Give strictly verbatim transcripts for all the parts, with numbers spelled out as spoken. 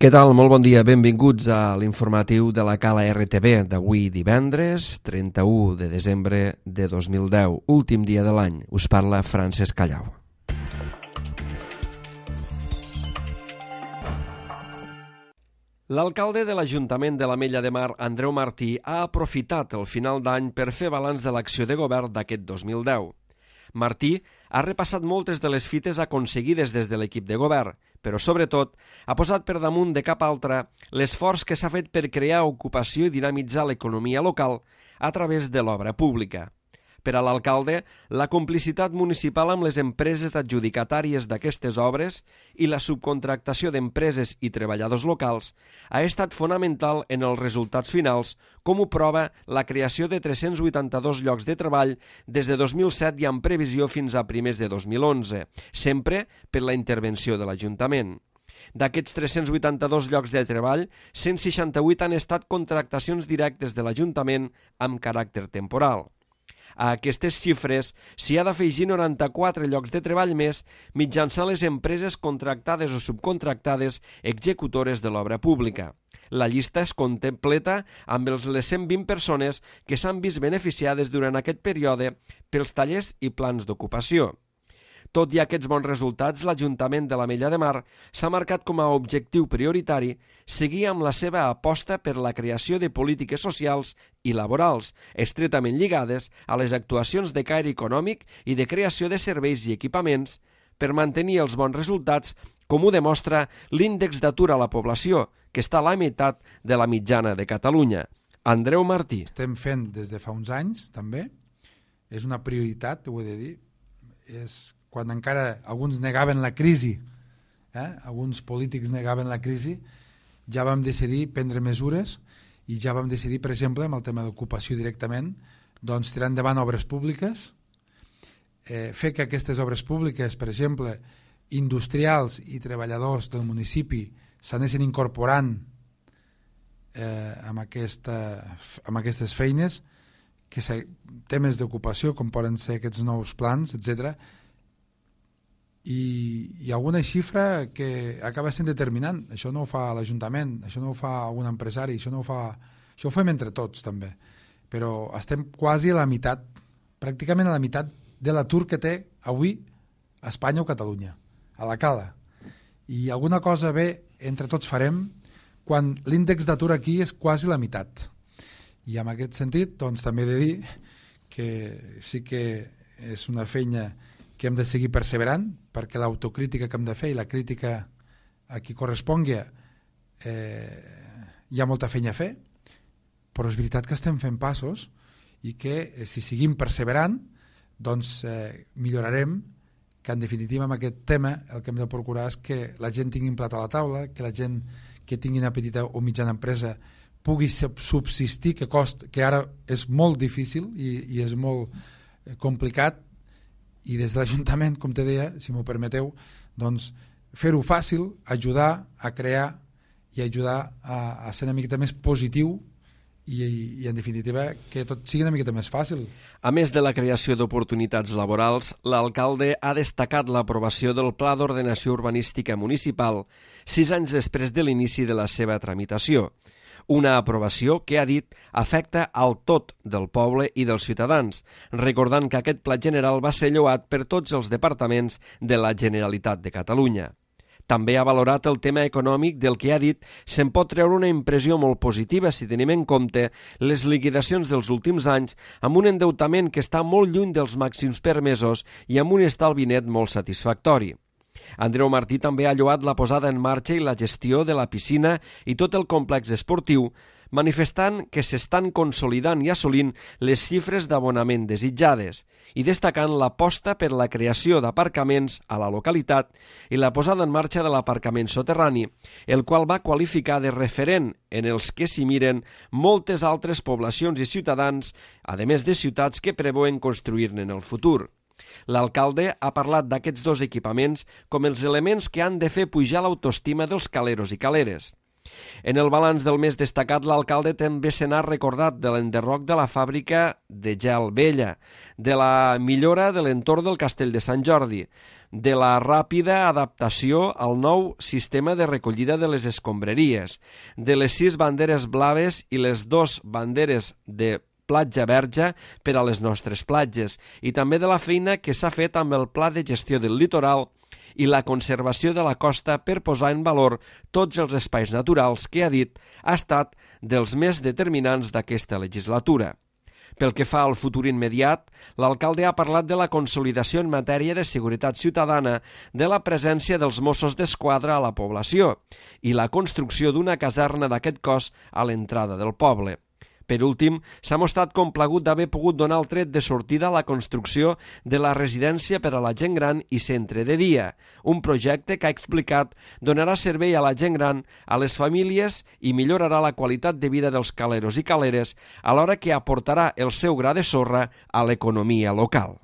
Què tal? Molt bon dia. Benvinguts a l'informatiu de la Cala R T V d'avui divendres, trenta-u de desembre de dos mil deu, últim dia de l'any. Us parla Francesc Callau. L'alcalde de l'Ajuntament de l'Ametlla de Mar, Andreu Martí, ha aprofitat el final d'any per fer balanç de l'acció de govern d'aquest dos mil deu. Martí ha repassat moltes de les fites aconseguides des de l'equip de govern, però sobretot ha posat per damunt de cap altra l'esforç que s'ha fet per crear ocupació i dinamitzar l'economia local a través de l'obra pública. Per a l'alcalde, la complicitat municipal amb les empreses adjudicatàries d'aquestes obres i la subcontractació d'empreses i treballadors locals ha estat fonamental en els resultats finals, com ho prova la creació de tres-cents vuitanta-dos llocs de treball des de dos mil set i amb previsió fins a primers de dos mil onze, sempre per la intervenció de l'Ajuntament. D'aquests tres-cents vuitanta-dos llocs de treball, cent seixanta-vuit han estat contractacions directes de l'Ajuntament amb caràcter temporal. A aquestes xifres s'hi ha d'afegir noranta-quatre llocs de treball més mitjançant les empreses contractades o subcontractades executores de l'obra pública. La llista es completa amb les cent vint persones que s'han vist beneficiades durant aquest període pels tallers i plans d'ocupació. Tot i aquests bons resultats, l'Ajuntament de l'Ametlla de Mar s'ha marcat com a objectiu prioritari seguir amb la seva aposta per la creació de polítiques socials i laborals, estretament lligades a les actuacions de caire econòmic i de creació de serveis i equipaments per mantenir els bons resultats, com ho demostra l'índex d'atur a la població, que està a la meitat de la mitjana de Catalunya. Andreu Martí. Estem fent des de fa uns anys, també. És una prioritat, ho he de dir. És quan encara alguns negaven la crisi, eh? alguns polítics negaven la crisi, ja vam decidir prendre mesures i ja vam decidir, per exemple, amb el tema d'ocupació directament, doncs tirar endavant obres públiques, eh, fer que aquestes obres públiques, per exemple, industrials i treballadors del municipi s'anessin incorporant eh, amb, aquesta, amb aquestes feines, que temes d'ocupació, com poden ser aquests nous plans, etcètera, i, i alguna xifra que acaba sent determinant. Això no ho fa l'Ajuntament, això no ho fa algun empresari, això no ho fa... Això ho fem entre tots, també. Però estem quasi a la meitat, pràcticament a la meitat de l'atur que té avui a Espanya o Catalunya, a la Cala. I alguna cosa bé entre tots farem quan l'índex d'atur aquí és quasi la meitat. I en aquest sentit, doncs, també he de dir que sí que és una feina que hem de seguir perseverant, perquè l'autocrítica que hem de fer i la crítica a qui correspongui eh, hi ha molta feina a fer, però és veritat que estem fent passos i que eh, si seguim perseverant doncs eh, millorarem, que en definitiva amb aquest tema el que hem de procurar és que la gent tingui un plat a la taula, que la gent que tingui una petita o mitjana empresa pugui subsistir, que, cost, que ara és molt difícil i, i és molt eh, complicat, i des de l'Ajuntament, com te deia, si m'ho permeteu, doncs fer-ho fàcil, ajudar a crear i ajudar a, a ser una miqueta més positiu i, i en definitiva que tot sigui una miqueta més fàcil. A més de la creació d'oportunitats laborals, l'alcalde ha destacat l'aprovació del Pla d'Ordenació Urbanística Municipal sis anys després de l'inici de la seva tramitació. Una aprovació que, ha dit, afecta al tot del poble i dels ciutadans, recordant que aquest pla general va ser lloat per tots els departaments de la Generalitat de Catalunya. També ha valorat el tema econòmic, del que ha dit se'n pot treure una impressió molt positiva si tenim en compte les liquidacions dels últims anys amb un endeutament que està molt lluny dels màxims permesos i amb un estalvi net molt satisfactori. Andreu Martí també ha lloat la posada en marxa i la gestió de la piscina i tot el complex esportiu, manifestant que s'estan consolidant i assolint les xifres d'abonament desitjades i destacant l'aposta per la creació d'aparcaments a la localitat i la posada en marxa de l'aparcament soterrani, el qual va qualificar de referent en els que s'hi miren moltes altres poblacions i ciutadans, a més de ciutats que preveuen construir-ne en el futur. L'alcalde ha parlat d'aquests dos equipaments com els elements que han de fer pujar l'autoestima dels caleros i caleres. En el balanç del mes destacat, l'alcalde també se n'ha recordat de l'enderroc de la fàbrica de gel vella, de la millora de l'entorn del Castell de Sant Jordi, de la ràpida adaptació al nou sistema de recollida de les escombraries, de les sis banderes blaves i les dos banderes de platja verge per a les nostres platges, i també de la feina que s'ha fet amb el Pla de Gestió del Litoral i la conservació de la costa per posar en valor tots els espais naturals que, ha dit, ha estat dels més determinants d'aquesta legislatura. Pel que fa al futur immediat, l'alcalde ha parlat de la consolidació en matèria de seguretat ciutadana, de la presència dels Mossos d'Esquadra a la població i la construcció d'una caserna d'aquest cos a l'entrada del poble. Per últim, s'ha mostrat complagut d'haver pogut donar el tret de sortida a la construcció de la residència per a la gent gran i centre de dia, un projecte que ha explicat donarà servei a la gent gran, a les famílies i millorarà la qualitat de vida dels caleros i caleres, alhora que aportarà el seu gra de sorra a l'economia local.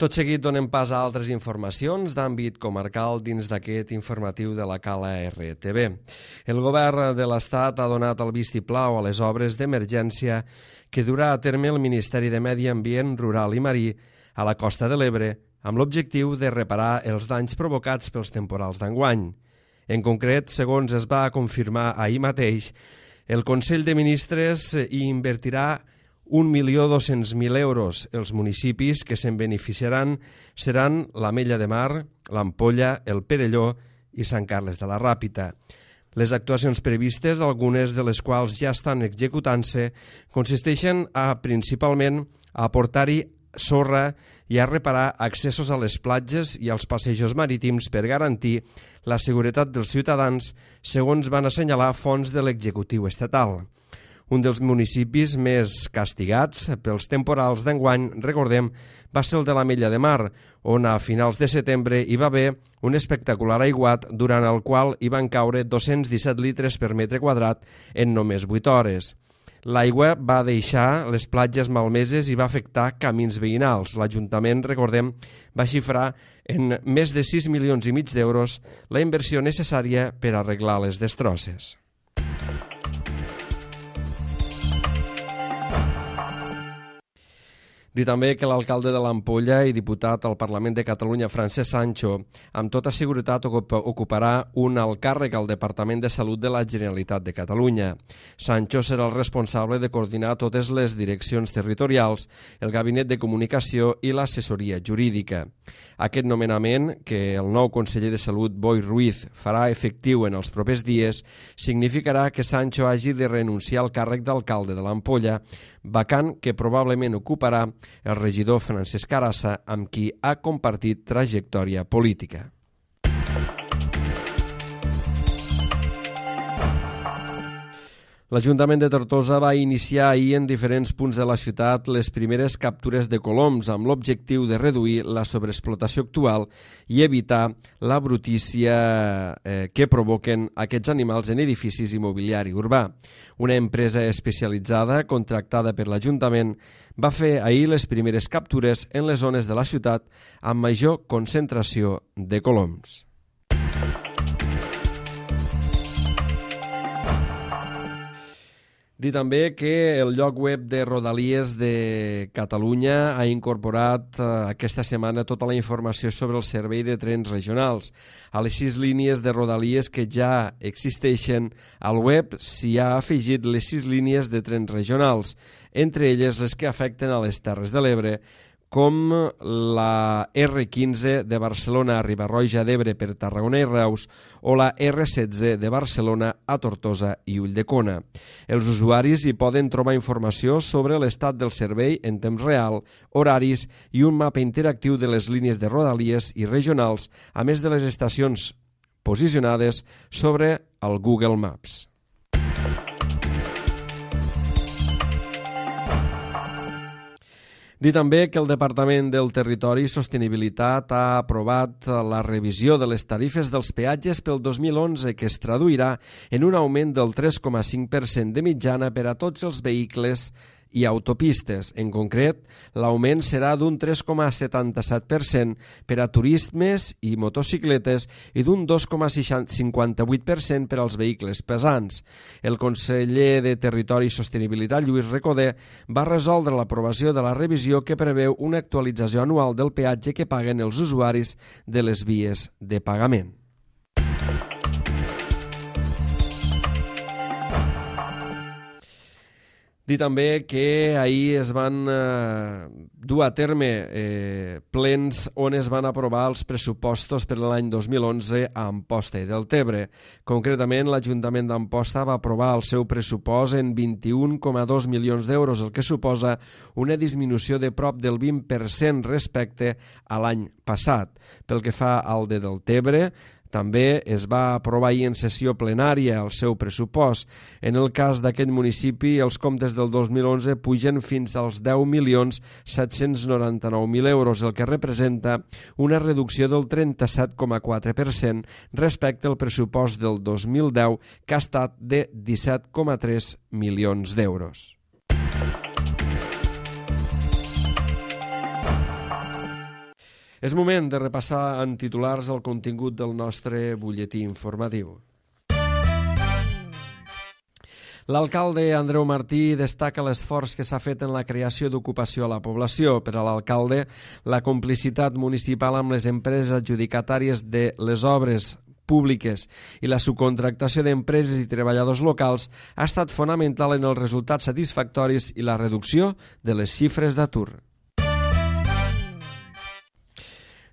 Tot seguit donem pas a altres informacions d'àmbit comarcal dins d'aquest informatiu de la Cala R T V. El govern de l'Estat ha donat el vistiplau a les obres d'emergència que durà a terme el Ministeri de Medi Ambient Rural i Marí a la Costa de l'Ebre amb l'objectiu de reparar els danys provocats pels temporals d'enguany. En concret, segons es va confirmar ahir mateix, el Consell de Ministres hi invertirà un milió dos-cents mil euros. Els municipis que se'n beneficiaran seran l'Ametlla de Mar, l'Ampolla, el Perelló i Sant Carles de la Ràpita. Les actuacions previstes, algunes de les quals ja estan executant-se, consisteixen a, principalment, a aportar-hi sorra i a reparar accessos a les platges i als passejos marítims per garantir la seguretat dels ciutadans, segons van assenyalar fonts de l'executiu estatal. Un dels municipis més castigats pels temporals d'enguany, recordem, va ser el de l'Ametlla de Mar, on a finals de setembre hi va haver un espectacular aiguat durant el qual hi van caure dos-cents disset litres per metre quadrat en només vuit hores. L'aigua va deixar les platges malmeses i va afectar camins veïnals. L'Ajuntament, recordem, va xifrar en més de sis milions i mig d'euros la inversió necessària per arreglar les destrosses. Dir també que l'alcalde de l'Ampolla i diputat al Parlament de Catalunya, Francesc Sancho, amb tota seguretat ocuparà un alt càrrec al Departament de Salut de la Generalitat de Catalunya. Sancho serà el responsable de coordinar totes les direccions territorials, el gabinet de comunicació i l'assessoria jurídica. Aquest nomenament, que el nou conseller de Salut, Boi Ruiz, farà efectiu en els propers dies, significarà que Sancho hagi de renunciar al càrrec d'alcalde de l'Ampolla, vacant que probablement ocuparà el regidor Francesc Carassa, amb qui ha compartit trajectòria política. L'Ajuntament de Tortosa va iniciar ahir en diferents punts de la ciutat les primeres captures de coloms amb l'objectiu de reduir la sobreexplotació actual i evitar la brutícia eh, que provoquen aquests animals en edificis i mobiliari urbà. Una empresa especialitzada contractada per l'Ajuntament va fer ahir les primeres captures en les zones de la ciutat amb major concentració de coloms. Dir també que el lloc web de Rodalies de Catalunya ha incorporat eh, aquesta setmana tota la informació sobre el servei de trens regionals. A les sis línies de Rodalies que ja existeixen al web s'hi ha afegit les sis línies de trens regionals, entre elles les que afecten a les Terres de l'Ebre, com la erre quinze de Barcelona a Riba-roja d'Ebre per Tarragona i Reus o la erre setze de Barcelona a Tortosa i Ulldecona. Els usuaris hi poden trobar informació sobre l'estat del servei en temps real, horaris i un mapa interactiu de les línies de Rodalies i regionals, a més de les estacions posicionades sobre el Google Maps. Dir també que el Departament del Territori i Sostenibilitat ha aprovat la revisió de les tarifes dels peatges pel dos mil onze, que es traduirà en un augment del tres coma cinc per cent de mitjana per a tots els vehicles i autopistes. En concret, l'augment serà d'un tres coma setanta-set per cent per a turismes i motocicletes i d'un dos coma cinquanta-vuit per cent per als vehicles pesants. El conseller de Territori i Sostenibilitat, Lluís Recoder, va resoldre l'aprovació de la revisió que preveu una actualització anual del peatge que paguen els usuaris de les vies de pagament. Dir també que ahir es van eh, dur a terme eh, plens on es van aprovar els pressupostos per l'any dos mil onze a Amposta i Deltebre. Concretament, l'Ajuntament d'Amposta va aprovar el seu pressupost en vint-i-un coma dos milions d'euros, el que suposa una disminució de prop del vint per cent respecte a l'any passat. Pel que fa al de Deltebre, també es va aprovar ahir en sessió plenària el seu pressupost. En el cas d'aquest municipi, els comptes del dos mil onze pugen fins als deu milions set-cents noranta-nou mil euros, el que representa una reducció del trenta-set coma quatre per cent respecte al pressupost del dos mil deu, que ha estat de disset coma tres milions d'euros. És moment de repassar en titulars el contingut del nostre butlletí informatiu. L'alcalde Andreu Martí destaca l'esforç que s'ha fet en la creació d'ocupació a la població. Per a l'alcalde, la complicitat municipal amb les empreses adjudicatàries de les obres públiques i la subcontractació d'empreses i treballadors locals ha estat fonamental en els resultats satisfactoris i la reducció de les xifres d'atur.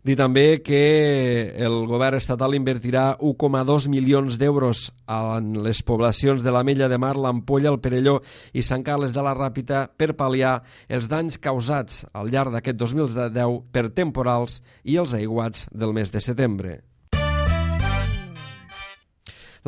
Dir també que el govern estatal invertirà un coma dos milions d'euros en les poblacions de l'Ametlla de Mar, l'Ampolla, el Perelló i Sant Carles de la Ràpita per pal·liar els danys causats al llarg d'aquest dos mil deu per temporals i els aiguats del mes de setembre.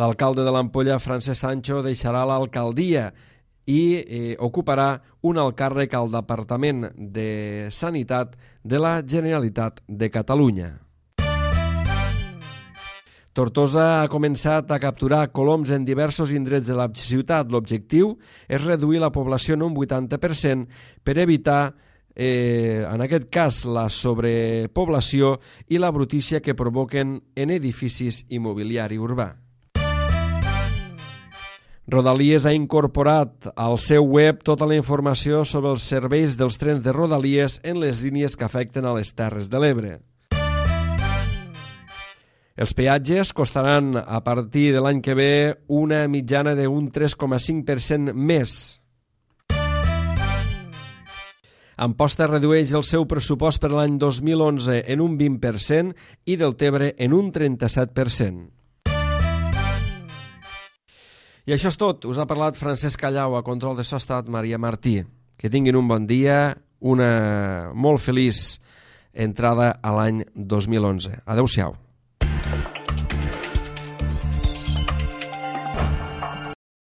L'alcalde de l'Ampolla, Francesc Sancho, deixarà l'alcaldia i eh, ocuparà un alt càrrec al Departament de Sanitat de la Generalitat de Catalunya. Tortosa ha començat a capturar coloms en diversos indrets de la ciutat. L'objectiu és reduir la població en un vuitanta per cent per evitar, eh, en aquest cas, la sobrepoblació i la brutícia que provoquen en edificis i mobiliari urbà. Rodalies ha incorporat al seu web tota la informació sobre els serveis dels trens de Rodalies en les línies que afecten a les Terres de l'Ebre. Els peatges costaran a partir de l'any que ve una mitjana d'un tres coma cinc per cent més. Amposta redueix el seu pressupost per l'any dos mil onze en un vint per cent i Deltebre en un trenta-set per cent. I això és tot. Us ha parlat Francesc Callau, a control de so ha estat Maria Martí. Que tinguin un bon dia, una molt feliç entrada a l'any dos mil onze. Adéu-siau.